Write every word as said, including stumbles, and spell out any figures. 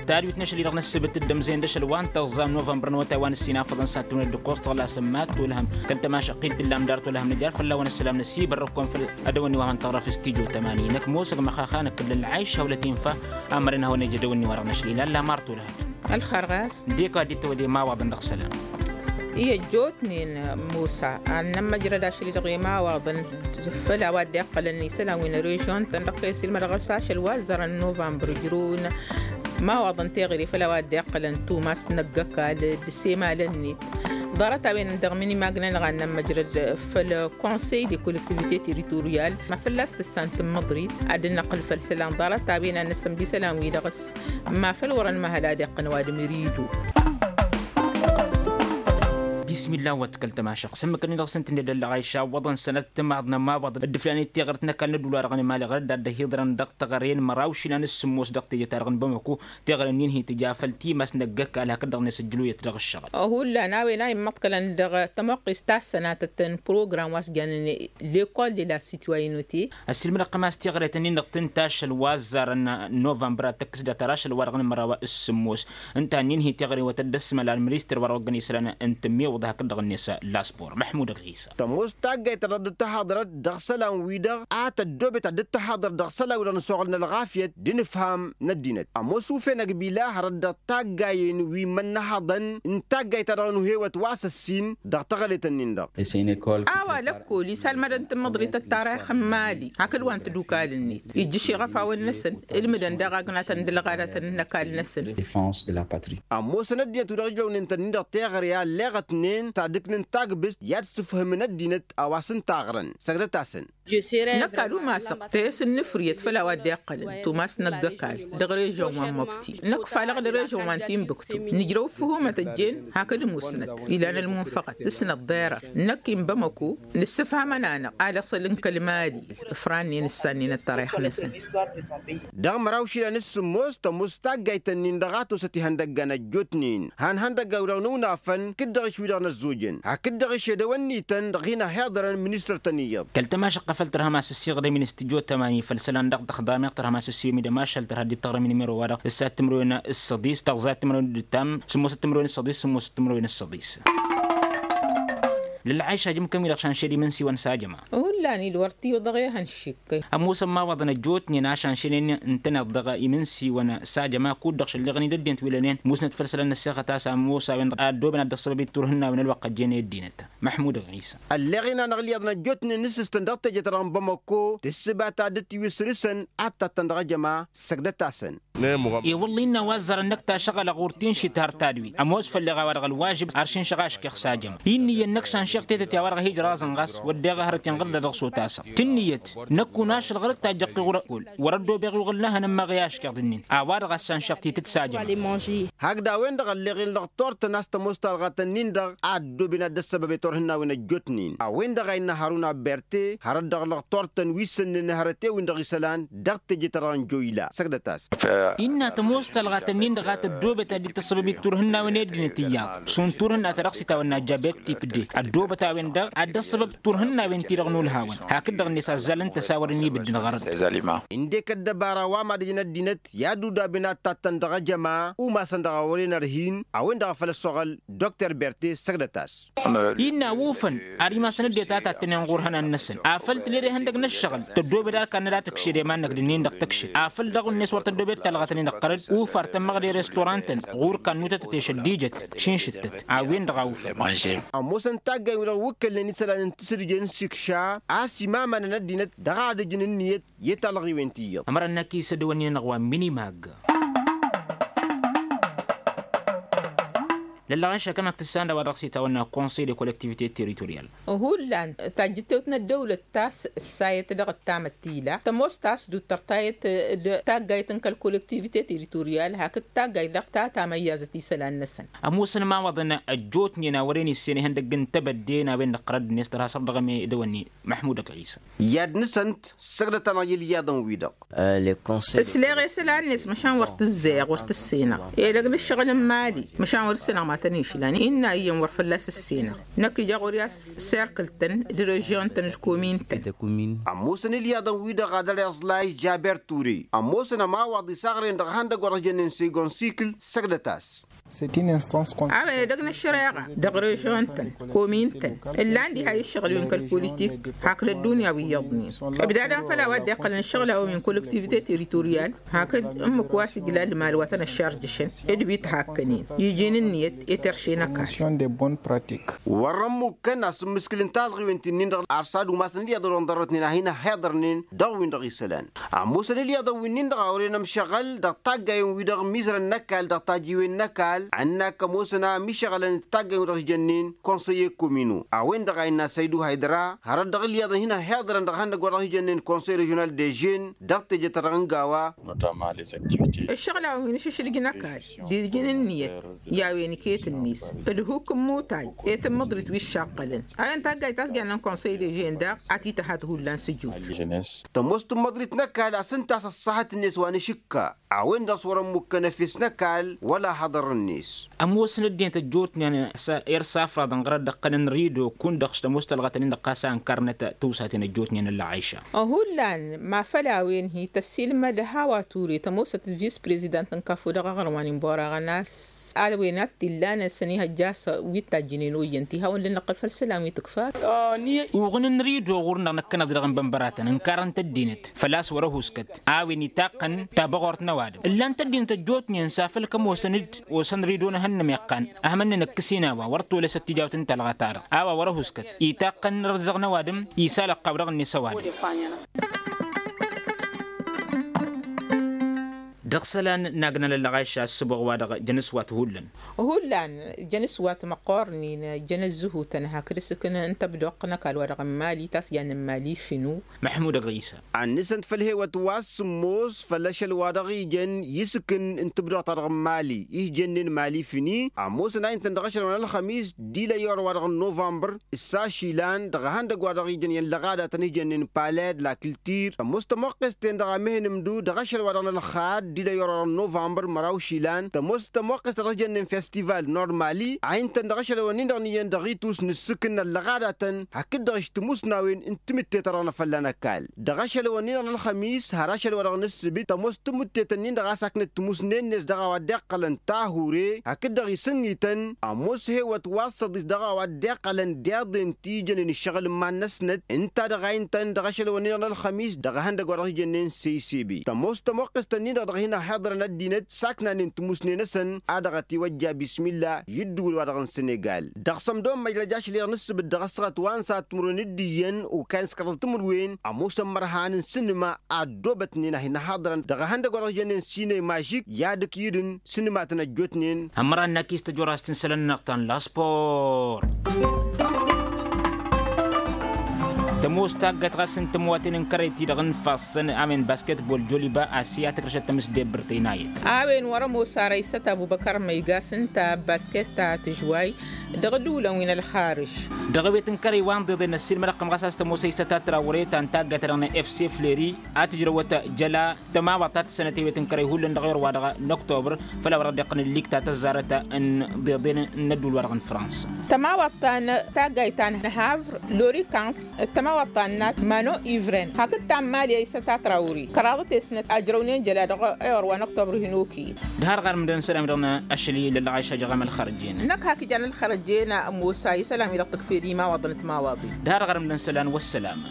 Tadwit n-ašăl-i-dăɣ n-ǝssǝbǝt dd-ămzăyăn d-ašăl wa n-tăẓẓa n-novămbăr n-awătay wa n-ǝssin afăḍăn s-ad-tǝwǝnăt d-ǝkkoẓ tăɣlasăn ma t-tulhăm kăl-tămašăqqit t-illa amdar tulhăm nǝjar fălla-wen ăssălam n-ăsibărrăkon făll-adăwănni wa hăn tăɣrăf s-tijo tămani năkk mosăg măxaxa năkkǝllăn lăɣayš hawlăt infa. Amăren hawăn-ejădăwănni wa dăɣ-năšlil alla mar tulhăm. Ălxărɣas. Dik-wa dd-tăwăde imawaḍăn dăɣ-isălan. I-ăjjootnen musa ad-nămmăjrăd ašăl-i-dăɣ imawaḍăn făll-a-wa dd-iqqălăn isălan wi n-režion-tăn dăɣ-kăy-ăsilmădăɣ s-ašăl wa ăzzărăn novămbăr ǝjrǝwăn imawaḍăn teɣăre făll-a-wa dd-iqqălăn tumas n-ăgg-ăkall d-isemalăn-net. Ḍarăt-a-wen dăɣ-minimagnen ad-nămmăjrăd făll-konsăy de kollektivite territoryal ma fălla-s tǝssan tǝmmǝḍrit ad-dd-năqqǝl făll-isălan ḍarăt-a-wen ad-nǝssǝm d-isălan-wi-dăɣ s-ma făl wărăn mahăl ad-iqqăn ăwadǝm iridu. Bismillah wa tǝkkăl tămašăɣ s-ǝmmǝk-nin dăɣ-săn tǝnned ăllăɣayša ǝwwăḍăn sănăt timaḍ n-ămawaḍăn dd-iflanen teɣărt n-ăkall n-ădduul-wa-dăɣ n-emali ɣărăt d-ad-dd-ăhiḍărăn dăɣ-teɣăre n-măraw išilan s-sǝmmos dăɣ-teje-ta-dăɣ n-bamăko. Teɣăre-nin hi-tǝja făll-timas n-ăgg-ăkall hakd-dăɣ-net ǝjjǝluyăt dăɣ-ǝššăɣǝl. Ăhulla n-a-wen a immăḍkălăn dăɣ-tămoqqist ta s-sănatăt n-program wa s-jannen lekol de la sitwayinute. Ăssiilmădăɣ-tăm a-s teɣăret-nin-dăɣ tǝnta ašăl wa ăzzarăn novămbăr ad-tăkkǝs dat-ar ašăl-wa-dăɣ n-măraw s-sǝmmos. Ǝnta-nin hi-teɣăre wa tăddăsmăla ălministăr wa dăɣ-oggăn isălan n-tǝmmiwǝḍ hakd-dăɣ-net laspor măḥmud ăgɣisa. Tămoos taggayt ta dăɣ-dd-tăhaḍărăt dăɣ-isălan-wi-dăɣ a tăddoobet ad-dd-tăhaḍăr dăɣ-isălan-wi-dăɣ n-ăsoɣăl n-ălɣafyăt d-inǝfham n-ăddinăt ămoos ufenăg bila hărăt dăɣ-taggayen wi n-imănnăhăḍăn n-taggayt ta dăɣ-nuhewăt wa s-ăssin dăɣ-teɣălet-nin-dăɣ. A-wa lăkkol isalmădăn tǝmmǝḍrit ăttarix n-imali hakd wa n-tadukal-net ijjǝš iɣăfawen-năsăn ǝlmǝdăn daɣ agnatăn d-ălɣadatăn n-ăkall-năsăn. Ămoosăn ăddinăt wi-dăɣ ǝjrăwnen tăn-in-dăɣ teɣăre a ălleɣătnen s-ad-ǝknǝn tagbǝst i-ad-sǝfhǝmǝn ăddinăt a-wa s-ǝntaɣrăn săgdăt-asăn. Năkk ad-umasăɣ tayăs n-inǝfrǝyăt făll-a-wa dd-iqqălăn tumas n-ăgg-ăkall dăɣ-režion wa n-mobti năkk falăɣ d-režion wa n-timbuktu nǝjrăw ǝffǝhumăt ăjjeen hakd ămusnăt ilan ălmunfăɣăt s-năḍḍerăr năkk inbămăko nǝssǝfhamăn-anăɣ alăṣăl n-kăl-mali. Ǝfrannen ǝssannen ăttărayăx-năsăn. Dăɣ-măraw išilan s-sǝmmos tămoos taggayt-nin-dăɣ a tosăt ihăndăggan ăjjootnen han ihăndăggan-wi-dăɣ n-unafăn kǝddăɣ-iš wi-dăɣ n-ăzzojăn hakd dăɣ-išedăwăn-nităn dăɣ-hin-ăhiḍărăn ministăr-tăn iyyăḍ. Kăl-tămašăɣ-t a făl tărhăm asǝssiɣdăm-in s-tijo tămani făll-isălan dăɣ-tăxḍameɣ tărhăm asǝssiwăm-i d-ămašal tărha dd-tăɣrăm-in imero-wa-dăɣ ǝssat timǝrwen s-săḍis tăɣẓat timǝrwen d-ǝttam sǝmmosăt timǝrwen s-săḍis sǝmmosăt timǝrwen s-săḍis. Lălɣayš ajǝm-kăn-wi-dăɣ šanšed imǝnsiwăn s-ajăma. Hullan-dd wăr t-iwǝḍăɣ ehăn šikkăy. Ămoosăn imawaḍăn ăjjootnen a šanšănen ǝntăneḍ dăɣ-imǝnsiwăn s-ajăma kud-dăɣ šălleɣăn-dd ăddinăt wi lănen musnăt făll-isălan n-ăssexăt a-s ămoos a-wen-dăɣ a ăddooben ad-dd-ăṣṣăbăb i-turhǝnnawen ălwăqq ăjjeen i-ăddinăt. Măḥmud ɣisa. Ălleɣ-in-anăɣ ǝlyaḍăn ăjjootnen n-asǝstăn dăɣ-teje-ta-dăɣ n-bamăko tǝssǝba ta dd-tiwǝssǝn-săn ad-tattăn dăɣ-ajăma. Săgdăt-asăn. I-wălla innă a-wa ăzzarăn năkk tašăɣălăɣ wăr t-inšit har tadwit ămoos făll-eɣ a-wa-dăɣ ălwažǝb ar šinšăɣ aškeɣ s-ajăma. Inniyăn năkk šanšeɣ tetăt i-a-wa-dăɣ a hi-ijraẓ ănɣas wădden ɣărăt inɣǝlla dăɣ-s otasăɣ tǝnniyăt. Năkk unašăl ɣur-dd tajjăɣ tiɣurăt kul wăr-ăddoobeɣ iwɣǝl n-ehăn ǝmmaɣ i-aškeɣ d-ǝnnin. A-wa-dăɣ a-s šanšeɣ titǝt s-ajăma. Hak d-a-wen-dăɣ ălleɣ-in lăɣtor-tăn a-s tămoos talɣat-ǝnnin-dăɣ a ăddooben ad-dd-ăssăbăb i-turhǝnnawen ăjjootnen a-wen-dăɣ a innă harun abert. Hărăt dăɣ-lăɣtor-tăn wi s-ǝnnǝn hărăt i-win-dăɣ isălan dăɣ-teje-ta-dăɣ n-joyla săgdăt-as. Innă tămoos talɣat-ǝnnin-dăɣ a tăddoobăt ad-dd-tăssăbăb i-turhǝnnawen i-ăddinăt iyyăḍ šund turhǝnna ta dăɣ-s itawănna jabet tipde ăddoobăt a-wen-dăɣ ad-dd-ăssăbăb turhǝnnawen-ti-dăɣ n-ulhawăn. Hakd-dăɣ-net azzalăn tăsawărăn ibǝddǝn ɣărăt. Ǝndek ăddăbara wa mad-ǝjǝn ăddinăt i-ad-udaben ad-tattăn dăɣ-ajăma umasăn dăɣ-a wăren ărhin a-wen-dăɣ a făl ăssoɣăl. Dokter berte săgdăt-as. Innă a wufăn ar imasăn ăddinăt a tattănen ɣur-ihănan-năsăn afăl tǝled ihăndăg n-ăššăɣǝl tăddoobed arkan n-ad-tǝkšed i-iman-năk d-ǝnnin-dăɣ tǝkšed afăl daɣ-net wăr tăddoobed talɣat-nin-dăɣ ɣărăt. Ufar tămmăɣde restorant-tăn ɣur-kannutătăt i-šăddijăt šinšǝttăt. A-wen-dăɣ a wufăn. Ămoosăn taggayen-wi-dăɣ wǝkkălnen isălan n-tisǝdje n-sikša a-s imamanăn ăddinăt dăɣ-ad-ǝjǝn ǝnniyăt i-talɣiwen ti iyyăḍ. Ămăra n-akis ăddăwănnin-anăɣ wa n-minimag. Lăllăɣaš akămak tǝssan d-a-wa dăɣ-s itawănna konsăy de kollektivite territoryal. Hullan tajjǝttewt n-ăddăwlăt ta s-ăssayăt dăɣ-ăttamăt ti ila tămoos ta s-duttăr tayăt d-taggayt n-kăl-kollektivite territoryal hakd taggayt dăɣ-ta tamăyyazăt isălan-năsăn. Ămoosăn imawaḍăn ăjjootnen a wăren issen ihăndăgg n-tebădde n-a-wen-dăɣ ɣărăd-net tărha săr dăɣ-emedăwănni. Măḥmud ăgɣisa. I-ad-nǝsăn-t săgdăt-anăɣ i-ǝlyaḍăn-wi-dăɣ. Ǝsleɣ i-isălan-net măšan wăr t-ǝzzăyăɣ wăr t-ǝssinăɣ edăgg n-ǝššăɣǝl n-imali măšan wăr ǝssinăɣ ma. Tăn-išlan innă iyyăn wăr fălla-s ǝssinăɣ. Năkk ija ɣur-i a-s serkǝl-tăn d-režion-tăn d-komin-tăn. Ămoosăn ilyaḍăn-wi-dăɣ ad-ăreẓlay jaber ture ămoosăn ămawaḍ isaɣren dăɣ-ihăndăgg wa dăɣ-s jănnen segon sikǝl. Săgdăt-as. A-wen edăgg n-ăššăreɣa dăɣ-režion-tăn komin-tăn ǝllan diha i-ǝššăɣǝl-wen kăl-politik hakd ăddunya wi iyyăḍnen. Ǝbdadăn făll-a-wa dd-iqqălăn ǝššăɣǝl-a-wen min kolektivite teritoryal hakd ǝmmǝk wa s-ijla ălmal wa tăn-ăššarjăšăn d-wi t-hakkănen. Iji n-ǝnniyăt i-terše n-ăkall. Wăr-ămmukkăn a-s ǝmmǝskǝl n-talɣiwen ti-nin-dăɣ ar s-ad-umasăn ilyaḍăn-wi-dăɣ n-ḍarrătnen a hin-ăhhiḍărnen dăɣ-win-dăɣ isălan. Ămoosăn ilyaḍăn wi-nin-dăɣ a wăren ămšăɣăl dăɣ-taggayen-wi-dăɣ ămmiizărăn n-ăkall dăɣ-tajiwen n-ăkall ănn-ak ămoosăn a ămišăɣălăn d-taggayen-wi-dăɣ s-jănnen konsăye komino. A-wen-dăɣ a innă săydu haydăra hărăt dăɣ-ilyaḍăn hin-ăhhiḍărăn dăɣ-ihăndăgg wa dăɣ-s jănnen konsăy režiunal de žen dăɣ-teje-ta-dăɣ n-gawa. Ǝššăɣǝl-a-wen išǝšǝdǝj n-ăkall d-iji n-ǝnniyăt i-a-wen iket-net d-hukk n-imutay i-tǝmmǝḍrit wi ǝššaqqălăn. A-wen taggayt ta s-jannen konsăy de žen daɣ a t-ităhat hullan sǝjut. Tămoos tǝmmǝḍrit n-ăkall a-s ǝnta a-s ăṣṣahăt-net wa n-ašǝkka a-wen-dăɣ s-wăr-ămmukkăn efes n-ăkall wăla haḍăr-net. Ămoosăn ăddinăt ăjjootnen s-irsafraḍăn ɣărăt d-ăqqănăn rido kun-dăɣ s-tămoos tălɣătăn-in-dăɣ ɣas a ǝnkărnăt tiwsaten ăjjootnen ăllăɣayša. Hullan ma făll-a-wen hi-tăssilmăd hawa ture tămoosăt vis-prezidant n-kăfo dăɣ-aɣrǝm wa n-inboraɣăn a-s a-wen ad-t-illanăn s-ănihăjja a-s wi t-tajjǝnen oyyăn ti hawăn-dd-năqqăl făll-isălan wi tǝkfat. Uɣǝn n-rido ɣur-năɣ năkkăneḍ-i dăɣ-inbănbăratăn ǝnkarăn-t ăddinăt făl-a-s wăr-ăhuskăt a-wen itaqqăn tabăɣort n-ăwadǝm ǝllan-t ăddinăt ăjjootnen s-afăl kămoosăn-dd osăn rido n-ehăn n-ămiqqan. Ahmănnen ǝkkǝs-in a-wa wăr-t-olăsăt tijaw-t n-talɣa-ta-dăɣ a-wa wăr-ăhuskăt itaqqăn răzzăɣ n-ăwadǝm. Isal ăqqaw dăɣ-net ăwadǝm. Dăɣ-isălan n-agnal ăllăɣayša ăssǝboɣ wa-dăɣ jăn s-wa-t hullan. Hullan jăn s-wa-t măqqornen jăn ăzzǝhutăn hakd asǝkǝn n-tăbdoqq n-ăkall wa dăɣ-n mali ta s-jannen mali finu. Măḥmud ăgg ɣisa. Ad-nǝsǝnt făll-hewăt wa s-sǝmmos făll-ašăl wa dăɣ-ijăn isǝkǝn n-tǝbdoɣt ta dăɣ-n mali ih' jănnen mali fini ămoosăn a intăn dăɣ-ašăl wa n-ălxămis d-ilăy i-orăw wa dăɣ-n novămbăr. S-ašǝlan dăɣ-ehăndăgg-wa-dăɣ ijăn i-ăllăɣadatăn ih' jănnen paled la kǝltir tămoos tămoqqes-ten-dăɣ a mehăn ǝmdu dăɣ-ašăl-wa-dăɣ n-ălxad d-ilăy i-orăw wa dăɣ-n novămbăr măraw išilan tămoos tămoqqes ta dăɣ-s jănnen festival normali a intăn dăɣ-ašălăwăn-in-dăɣ n-iyyăn dăɣ-itus n-ǝssǝkǝn n-ăllăɣadatăn hakd-dăɣ ǝštǝmusnawen n-timǝtte-ta-dăɣ n-afălla n-ăkall. Dăɣ-ašălăwăn-in-dăɣ n-ălxămis har ašăl-wa-dăɣ n-ǝssǝbǝt tămoos timǝttetăn-in-dăɣ a-s aknăt timusnen-net dăɣ-a-wa dd-iqqălăn tahure hakd-dăɣ isǝnnităn. Ămoos hewăt wa s-săḍis dăɣ-a-wa dd-iqqălăn deḍen ti jănen ǝššăɣǝl-iman-năsnăt ǝnta-dăɣ a intăn dăɣ-ašălăwăn-in-dăɣ n-ălxămis dăɣ-ehăndăg wa dăɣ-s jănnen săysebe tămoos tămoqqest-nin-dăɣ dăɣ-hin-ăhhiḍărăn ăddinăt saknanen timusnen-năsăn. A dăɣ-ătiwăjja bismilla i-ǝddǝwǝl-wa-dăɣ n-sănegal dăɣ-sămdo n-măjrăj ašli-dăɣ n-ǝssǝbǝt dăɣ-ăssăɣăt wa n-sat timǝrwen d-iyyăn okayăn s-kăraḍăt timǝrwen. Ămoosăn imărhan n-sinǝma a ăddoobătnen a hin-ăhhaḍărăn dăɣ-ehăndăg wa dăɣ-s jănnen sine mažik i-ad-ǝkyǝdǝn sinǝmatăn ăjjootnen. Ămăra n-akis tăjorast n-isălan-năɣ ta n-laspor. Tămoos taggăt ɣas n-tămwaten n-kărăy-ti-dăɣ n-ifassăn a-wen basketbol joliba asi a tǝkrăšăt tămǝsdebbǝrt ăynayăt. A-wen wăr-ămoos ara isăt abubăkăr măygas ǝnta basket ta tǝžway dăɣ-ădduulăn wi n-ălxarǝž. Dăɣ-ewet n-kărăy wa n-iḍeḍen ăssiilmăd ăqqăm ɣas a-s tămoos a isăt a tărawre ta n-taggăt-dăɣ n-efse fleri a tǝjrăwăt jăla tămawaḍt ta tǝssănăt ewet n-kărăy hullan dăɣ-ewăr-wa-dăɣ n-oktobăr. Făl a wăr ăddiqqăn ǝllik ta tăzzarăt n-iḍeḍen n-ădduul-wa-dăɣ n-fransa. Tămawaḍt ta n-taggayt ta n-havr lorikans d-tămawaḍt ta n-nat mano ivren hakd ta n-mali a isăt a tărawre kăraḍăt i-snăt ajrăwnen jăla dăɣ-ewăr wa n-oktobăr hin-okăyăn. D-har ɣarmǝdăn isălan-wi-dăɣ n-ašăl i-lălɣayša jăɣ-am ălxărăjen. Năkk hak ijan ălxărăjen ămoos a isălan-wi-dăɣ tǝkfed imawaḍăn d-timawaḍin. D-har ɣarmǝdăn isălan wăssălama.